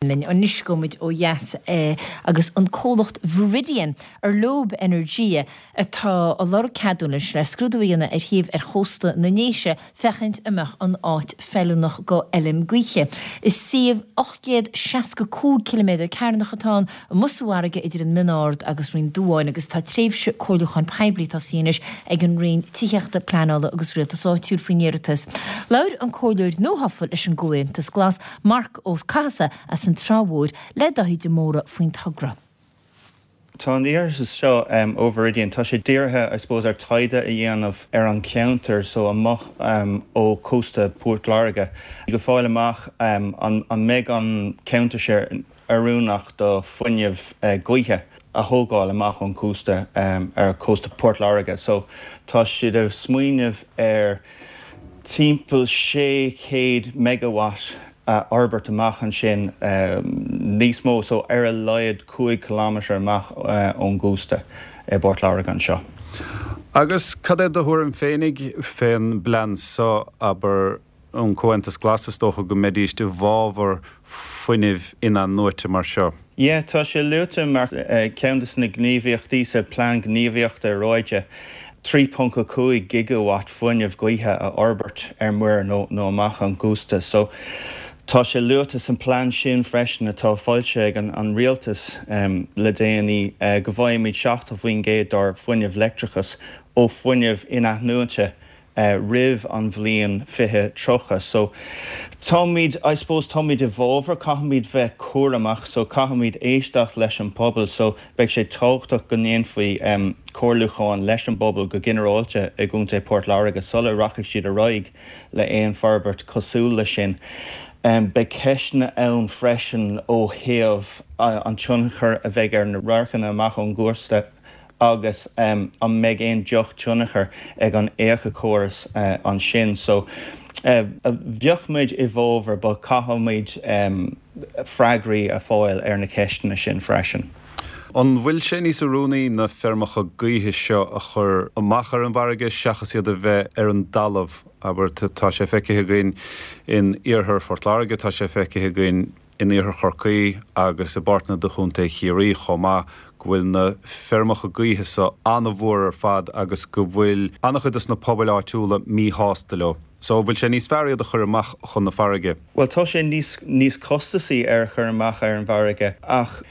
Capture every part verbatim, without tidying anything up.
Linn anois gabhfaimid ó dheas agus an comhlacht Viridian ar leob Energia atá ag lorg ceadúnais le scrúdú a dhéanamh ar shuíomh ar chósta na nDéise féachaint an mbeadh an áit feiliúnach go fheilm gaoithe. Is suíomh ocht gcéad seasca cúig ciliméadar cearnach atá ann, amuigh sa bhfarraige idir an Mín Ard agus Rinn Duáin agus tá tréimhse comhairliúcháin poiblí tosaithe anois ag an Roinn Tithíochta, Pleanála agus Rialtais Áitiúil faoin iarratas. Labhair an comhairleoir nuathofa leis an gComhaontas Glas, Marc Ó Cathasaigh as an Trá Mhór le Dáithí de Mórdha faoin togra. Tá an iarratas seo ó Viridian, tá sé dírithe, I suppose, ar taighde a dhéanamh ar an cheantar so amach ó chósta Port Láirge go fáil amach an mbeidh an ceantar sin oiriúnach do fuinneamh gaoithe a thógáil amach ón chósta ar chósta Port Láirge. So tá siad ag smaoineamh ar timpeall sé chéad megawatt a fhorbairt amach ansin níos mó so ar a laghad cúig kilometre amach ón gcósta i bPort Láirge anseo. Agus cad é do thuairim féinig fén bplean so abair an Comhaontas Glas is dócha go mbeidís i bhfabhar fuinnimh inathnuaite mar seo? Yeah, tá sé luaite mar ceann de na gníomhaíochtaí sa plean gníomhaíochta aeráide trí ponc a cúig gigawatt fuinneamh gaoithe a fhorbairt ar muir nó nó amach ón gcósta. So tá sé luaite san plean sin freisin atá foilsithe ag an, an rialtas um, le déanaí uh, go bhfaighimid seachtó faoin gcéad dár fuinneamh leictreachas ó fuinneamh inathnuaite uh, roimh an bhliain fiche tríocha. So táimid I suppose táimid i bhfabhar caithfimid bheith cúramach, so caithfimid éisteacht leis an pobal, so beidh sé tábhachtach go ndéanfaí um, comhairliúchán leis an bpobal go ginearálta i gContae Port Láirge sula rachaidh siad ar aghaidh le aon forbairt cosúil leis sin. Um, beidh ceisteanna ann freisin ó thaobh uh, an tionchar a bheidh ar na radharcanna amach ón gcósta agus um, an mbeidh aon drochthionchar ag an éiceachóras uh, ansin. So uh, bheadh muid i bhfabhar but caithfimid um, freagraí a fháil ar na ceisteanna sin freisin. An bhfuil sé níos oiriúnaí na feirmeacha gaoithe seo a chur amach ar an bhfarraige seachas iad a bheith ar an dtalamh abair tá sé feicthe againn in iarthar Phort Láirge, tá sé feicthe againn in iarthar Chorcaí agus i bpáirteanna de Chontae Chiarraí chomh maith go bhfuil na feirmeacha gaoithe seo an-mhór ar fad agus go bhfuil an-chuid de na pobail áitiúla míshásta leo. So bhfuil sé níos fearr iad a chur amach chun na farraige. Well tá sé níos níos costasaí ar chur amach ar an bhfarraige ach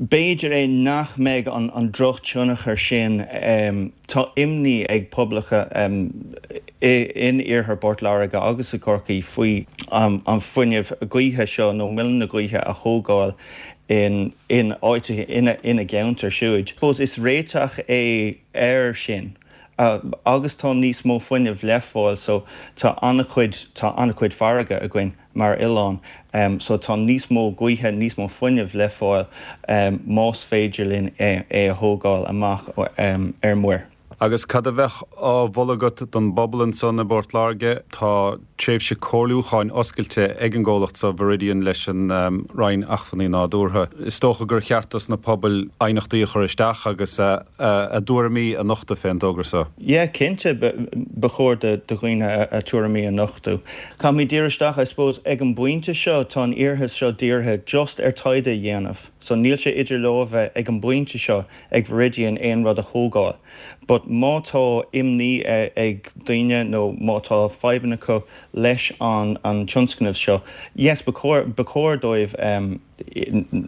b'fhéidir é nach mbeidh an, an drochthionchar sin um, tá imní ag poblacha um, in iarthar Port Láirge agus i Corcaí faoi um, an fuinneamh gaoithe seo nó muileann na gaoithe a thógáil in in áit ina ina gceantar siúd. Suppose is réiteach é air sin. Uh, agus tá níos mó fuinneamh le fáil so tá an-chuid tá an-chuid farraige againn mar oileán um, so tá níos mó gaoithe níos mó fuinneamh le fáil um, más féidir linn é, é a thógáil amach um, ar muir. Agus cad a bheadh á mholadh agat don bpobal ansan i bPort Láirge tá tréimhse comhairliúcháin oscailte ag an gcomhlacht sa Viridian leis an um, Roinn Acmhainní Nádúrtha. Is dócha gur cheart dos na pobail aighneachtaí a chur isteach agus a, a, a dtuairimí a nochtadh fén dtogra seo. Yeah, cinnte ba chóir do dhaoine a tuairimí a nochtadh. Caithfimid díriú isteach I suppose ag an bpointe seo tá an iarratas seo dírithe just ar taighde a dhéanamh. So níl sé idir lámha ag an bpointe seo ag Viridian aon rud a thógáil. But má tá imní ag daoine nó má tá fadhbanna acu leis an an tionscnamh seo, yes ba chóir dóibh um,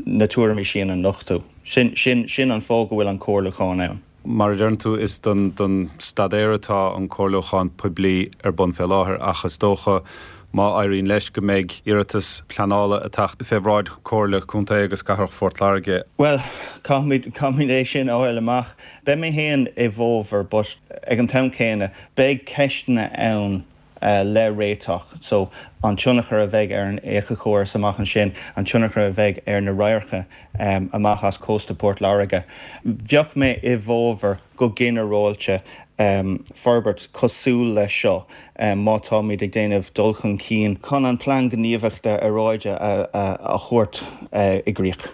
na tuairimí sin a nochtadh. Sin, sin, sin an fáth go bhfuil an comhairliúchán ann. Mar a deireann tú is don don staidéar atá an comhairliúchán poiblí ar bun fé láthair ach is dócha má éiríonn leis go mbeidh iarratas pleanála ag teacht fé bhráid Chomhairle Contae agus Cathrach Phort Láirge. Well, caithfimid é sin a fháil amach. Beidh mé féin i bhfabhar, but ag an t-am céanna beidh ceisteanna ann uh, le réiteach, so an tionchar a bheidh ar an éiceachóras amach ansin, an tionchar a bheidh ar na radharcanna um, amach as cósta Port Láirge. Bheadh mé i bhfabhar go ginearálta um, forbairt cosúil leis seo um, má táimid ag déanamh dul chun cinn chun an plean gníomhaíochta aeráide a, a, a thabhairt uh, i gcrích.